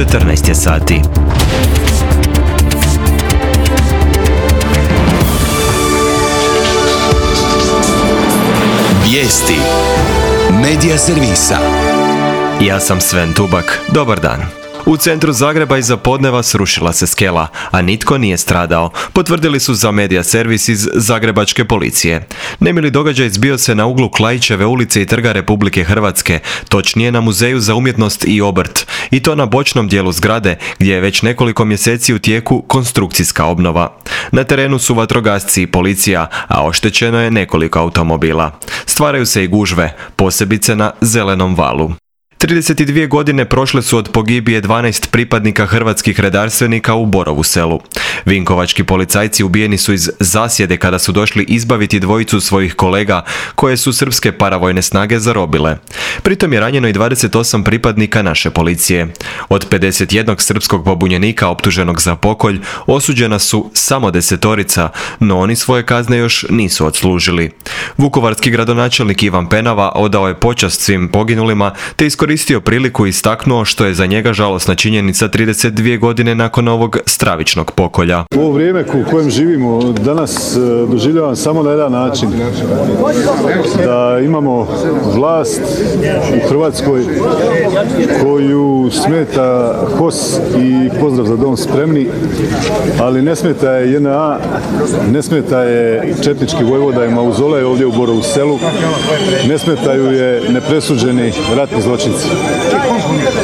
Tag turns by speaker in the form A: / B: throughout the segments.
A: 14 je sati.
B: Vijesti Medija servisa.
A: Ja sam Sven Tubak. Dobar dan. U centru Zagreba iza podneva srušila se skela, a nitko nije stradao, potvrdili su za Medija servis iz zagrebačke policije. Nemili događaj zbio se na uglu Klaićeve ulice i Trga Republike Hrvatske, točnije na Muzeju za umjetnost i obrt, i to na bočnom dijelu zgrade, gdje je već nekoliko mjeseci u tijeku konstrukcijska obnova. Na terenu su vatrogasci i policija, a oštećeno je nekoliko automobila. Stvaraju se i gužve, posebice na Zelenom valu. 32 godine prošle su od pogibije 12 pripadnika hrvatskih redarstvenika u Borovu Selu. Vinkovački policajci ubijeni su iz zasjede kada su došli izbaviti dvojicu svojih kolega koje su srpske paravojne snage zarobile. Pritom je ranjeno i 28 pripadnika naše policije. Od 51 srpskog pobunjenika optuženog za pokolj osuđena su samo 10, no oni svoje kazne još nisu odslužili. Vukovarski gradonačelnik Ivan Penava odao je počast svim poginulima te iskoristio priliku i istaknuo što je za njega žalosna činjenica 32 godine nakon ovog stravičnog pokolja.
C: Ovo vrijeme u kojem živimo danas doživljavam samo na jedan način. Da imamo vlast u Hrvatskoj koju smeta HOS i pozdrav za dom spremni, ali ne smeta je JNA, ne smeta je četnički vojvoda i mauzolej ovdje u Borovu Selu, ne smetaju je nepresuđeni ratni zločinci.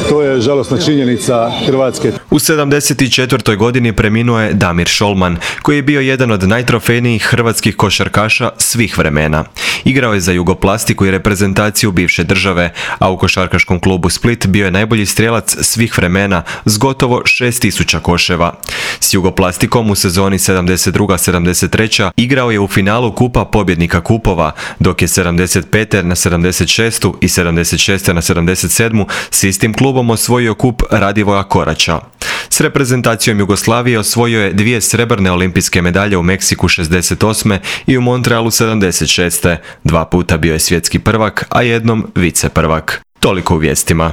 C: To je žalosna činjenica Hrvatske.
A: U 74. godini preminuo je Damir Šolman, koji je bio jedan od najtrofejnijih hrvatskih košarkaša svih vremena. Igrao je za Jugoplastiku i reprezentaciju bivše države, a u košarkaškom klubu Split bio je najbolji strijelac svih vremena s gotovo 6000 koševa. S Jugoplastikom u sezoni 72-73 igrao je u finalu Kupa pobjednika kupova, dok je 75. na 76. i 76. na 77. s istim klubom osvojio kup Radivoja Koraća. S reprezentacijom Jugoslavije osvojio je 2 srebrne olimpijske medalje u Meksiku 68. i u Montrealu 76. 2 puta bio je svjetski prvak, a jednom viceprvak. Toliko u vijestima.